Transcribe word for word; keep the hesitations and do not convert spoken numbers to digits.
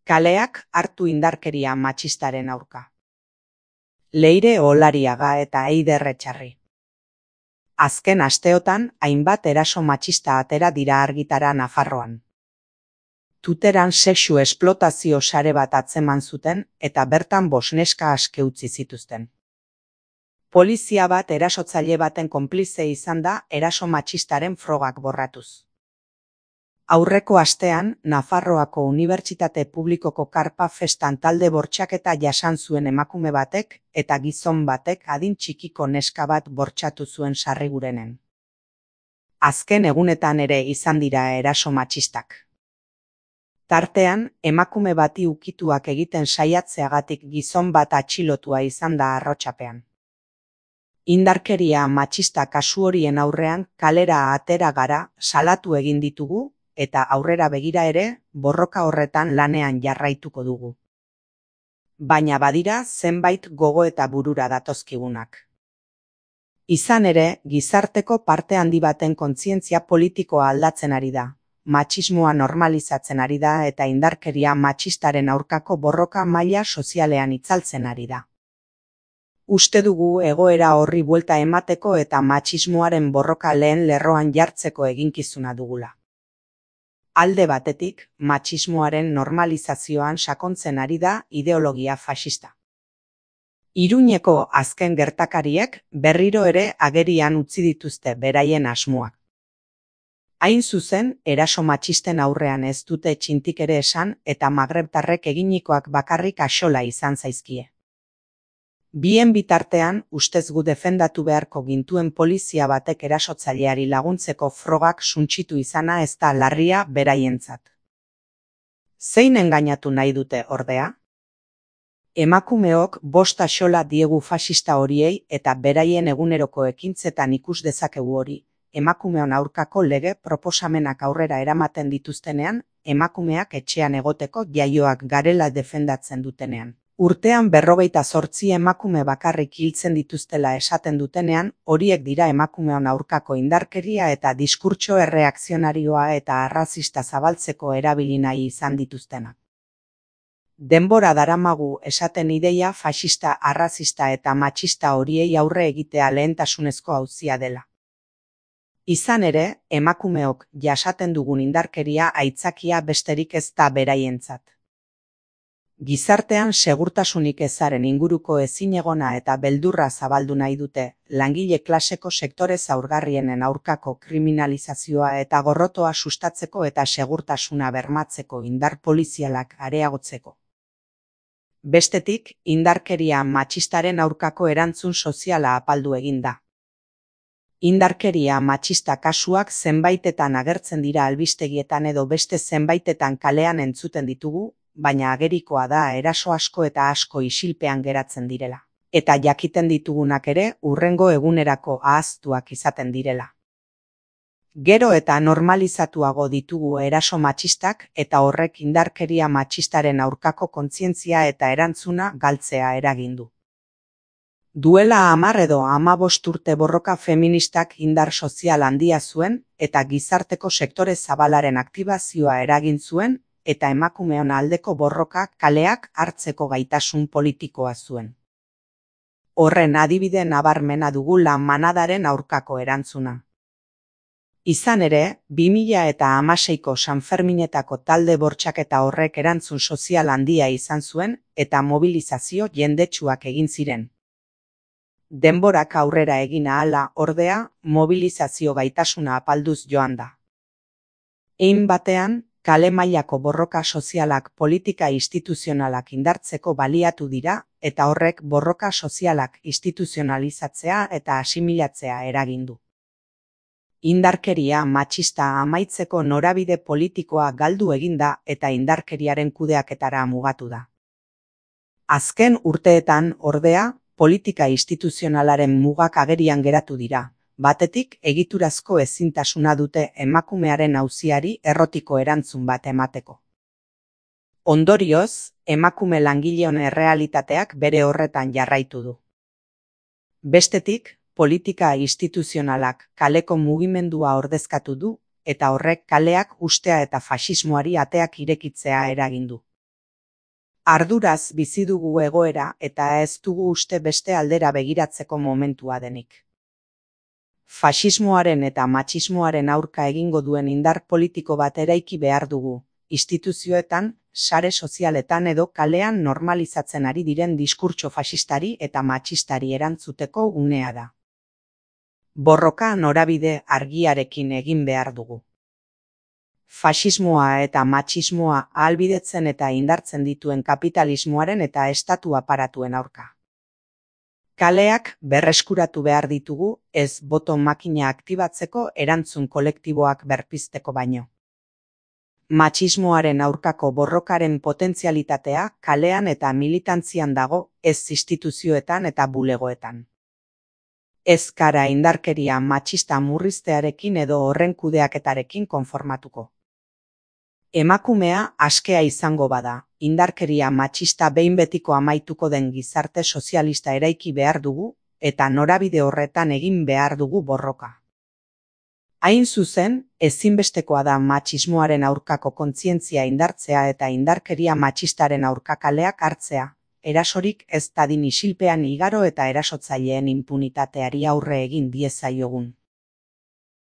Kaleak hartu indarkeria matxistaren aurka. Leire Olariaga eta Eider Etxarri. Azken asteotan hainbat eraso matxista atera dira argitara Nafarroan. Tuteran sexu esplotazio sare bat atzeman zuten eta bertan bost neska aske utzi zituzten. Polizia bat erasotzaile baten konplize izan da eraso matxistaren frogak borratuz. Aurreko astean, Nafarroako Unibertsitate Publikoko Karpa festan talde bortxaketa jasan zuen emakume batek eta gizon batek adin txikiko neska bat bortxatu zuen Sarrigurenen. Azken egunetan ere izan dira eraso matxistak. Tartean, emakume bati ukituak egiten saiatzeagatik gizon bat atxilotua izan da Arrotxapean. Indarkeria matxista kasu horien aurrean kalera atera gara, salatu egin ditugu, eta aurrera begira ere, borroka horretan lanean jarraituko dugu. Baina badira zenbait gogo eta burura datozkigunak. Izan ere, gizarteko parte handi baten kontzientzia politikoa aldatzen ari da, matxismoa normalizatzen ari da eta indarkeria matxistaren aurkako borroka maila sozialean itzaltzen ari da. Uste dugu egoera horri buelta emateko eta matxismoaren borroka lehen lerroan jartzeko eginkizuna dugula. Alde batetik, matxismoaren normalizazioan sakontzen ari da ideologia faxista. Iruñeko azken gertakariek berriro ere agerian utzi dituzte beraien asmoak. Hain zuzen, eraso matxisten aurrean ez dute txintik ere esan eta magrebtarrek eginikoak bakarrik axola izan zaizkie. Bien bitartean, ustez gu defendatu beharko gintuen polizia batek erasotzaileari laguntzeko frogak suntsitu izana ez da larria beraientzat. Zein engainatu nahi dute ordea? Emakumeok bost axola diegu faxista horiei eta beraien eguneroko ekintzetan ikus dezakegu hori, emakumeon aurkako lege proposamenak aurrera eramaten dituztenean, emakumeak etxean egoteko jaioak garela defendatzen dutenean. Urtean berrogeita zortzi emakume bakarrik hiltzen dituztela esaten dutenean, horiek dira emakumeon aurkako indarkeria eta diskurtso erreakzionarioa eta arrazista zabaltzeko erabili nahi izan dituztenak. Denbora daramagu esaten ideia faxista, arrazista eta matxista horiei aurre egitea lehentasunezko auzia dela. Izan ere, emakumeok jasaten dugun indarkeria aitzakia besterik ez da beraientzat. Gizartean segurtasunik ezaren inguruko ezinegona eta beldurra zabaldu nahi dute, langile klaseko sektore zaurgarrienen aurkako kriminalizazioa eta gorrotoa sustatzeko eta segurtasuna bermatzeko indar polizialak areagotzeko. Bestetik, indarkeria matxistaren aurkako erantzun soziala apaldu egin da. Indarkeria matxista kasuak zenbaitetan agertzen dira albistegietan edo beste zenbaitetan kalean entzuten ditugu, baina agerikoa da eraso asko eta asko isilpean geratzen direla. Eta jakiten ditugunak ere hurrengo egunerako ahaztuak izaten direla. Gero eta normalizatuago ditugu eraso matxistak eta horrek indarkeria matxistaren aurkako kontzientzia eta erantzuna galtzea eragin du. Duela hamar edo hamabost urte borroka feministak indar sozial handia zuen eta gizarteko sektore zabalaren aktibazioa eragin zuen eta emakumeon aldeko borroka kaleak hartzeko gaitasun politikoa zuen. Horren adibide nabarmena dugu lan manadaren aurkako erantzuna. Izan ere, bi mila hamaseiko Sanferminetako talde bortxaketa horrek erantzun sozial handia izan zuen eta mobilizazio jendetsuak egin ziren. Denborak aurrera egin ahala, ordea, mobilizazio gaitasuna apalduz joan da. Hein batean, kale mailako borroka sozialak politika instituzionalak indartzeko baliatu dira eta horrek borroka sozialak instituzionalizatzea eta asimilatzea eragin du. Indarkeria matxista amaitzeko norabide politikoa galdu egin da eta indarkeriaren kudeaketara mugatu da. Azken urteetan, ordea, politika instituzionalaren mugak agerian geratu dira. Batetik, egiturazko ezintasuna dute emakumearen auziari errotiko erantzun bat emateko. Ondorioz, emakume langileon errealitateak bere horretan jarraitu du. Bestetik, politika instituzionalak kaleko mugimendua ordezkatu du eta horrek kaleak ustea eta faxismoari ateak irekitzea eragin du. Arduraz bizi dugu egoera eta ez dugu uste beste aldera begiratzeko momentua denik. Faxismoaren eta matxismoaren aurka egingo duen indar politiko bat eraiki behar dugu, instituzioetan, sare sozialetan edo kalean normalizatzen ari diren diskurtso faxistari eta matxistari erantzuteko unea da. Borroka norabide argiarekin egin behar dugu. Faxismoa eta matxismoa ahalbidetzen eta indartzen dituen kapitalismoaren eta estatu aparatuen aurka. Kaleak berreskuratu behar ditugu, ez boto makina aktibatzeko erantzun kolektiboak berpizteko baino. Matxismoaren aurkako borrokaren potentzialitatea kalean eta militantzian dago, ez instituzioetan eta bulegoetan. Ez gara indarkeria matxista murriztearekin edo horren kudeaketarekin konformatuko. Emakumea askea izango bada, indarkeria matxista behin betiko amaituko den gizarte sozialista eraiki behar dugu, eta norabide horretan egin behar dugu borroka. Hain zuzen, ezinbestekoa da matxismoaren aurkako kontzientzia indartzea eta indarkeria matxistaren aurka kaleak hartzea, erasorik ez dadin isilpean igaro eta erasotzaileen inpunitateari aurre egin diezaiogun.